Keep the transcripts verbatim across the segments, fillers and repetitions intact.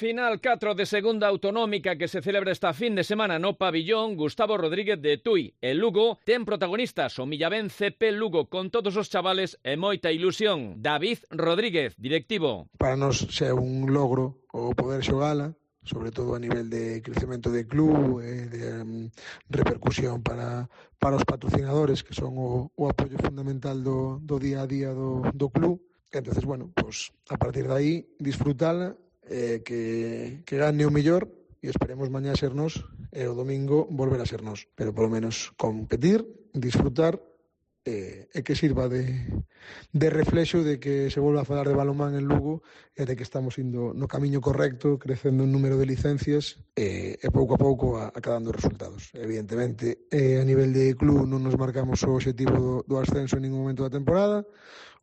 Final catro de segunda autonómica que se celebra esta fin de semana no pabillón Gustavo Rodríguez de Tui. El Lugo ten protagonistas o Millavén C P Lugo con todos os chavales e moita ilusión. David Rodríguez, directivo. Para nós xa é un logro o poder xogala, sobre todo a nivel de crecemento de club e de um, repercusión para, para os patrocinadores que son o, o apoio fundamental do, do día a día do, do club. Entonces, bueno, pues a partir de aí disfrutala, eh, que, que gane o mellor e esperemos mañá ser nós e o domingo volver a ser nós, pero polo menos competir, disfrutar e, e que sirva de, de reflexo de que se volva a falar de balonmán en Lugo e de que estamos indo no camiño correcto, crecendo en número de licencias e, e pouco a pouco a, acadando resultados. Evidentemente, eh, a nivel de club non nos marcamos o objetivo do, do ascenso en ningún momento da temporada,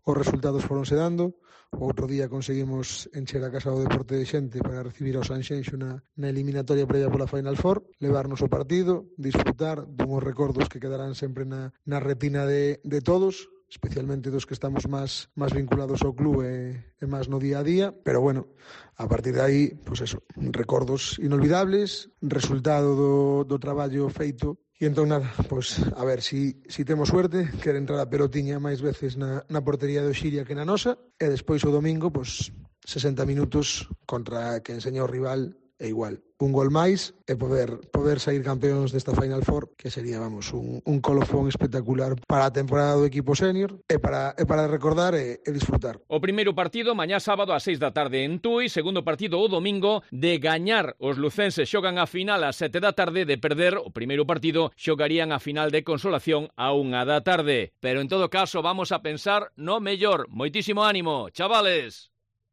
os resultados foronse dando. O outro día conseguimos encher a Casa do Deporte de Xente para recibir ao Sanxenxo na, na eliminatoria previa pola Final Four, levarnos o partido, disfrutar dunhos recordos que quedarán sempre na, na retina de, de todos, especialmente dos que estamos máis, máis vinculados ao club e, e máis no día a día, pero bueno, a partir de aí, pues eso, recordos inolvidables, resultado do, do traballo feito. E entón nada, pois a ver si, si temos suerte, quer entrar a pelotiña máis veces na, na portería do Xiria que na nosa, e despois o domingo, pois sesenta minutos contra quen enseña o rival é igual. Un gol máis e poder poder sair campeóns desta Final Four, que sería, vamos, un, un colofón espectacular para a temporada do equipo senior e para, e para recordar e, e disfrutar. O primeiro partido mañá sábado ás seis da tarde en Tui, segundo partido o domingo. De gañar os lucenses xogan a final ás sete da tarde, de perder o primeiro partido xogarían a final de consolación a unha da tarde. Pero en todo caso vamos a pensar no mellor. Moitísimo ánimo, chavales.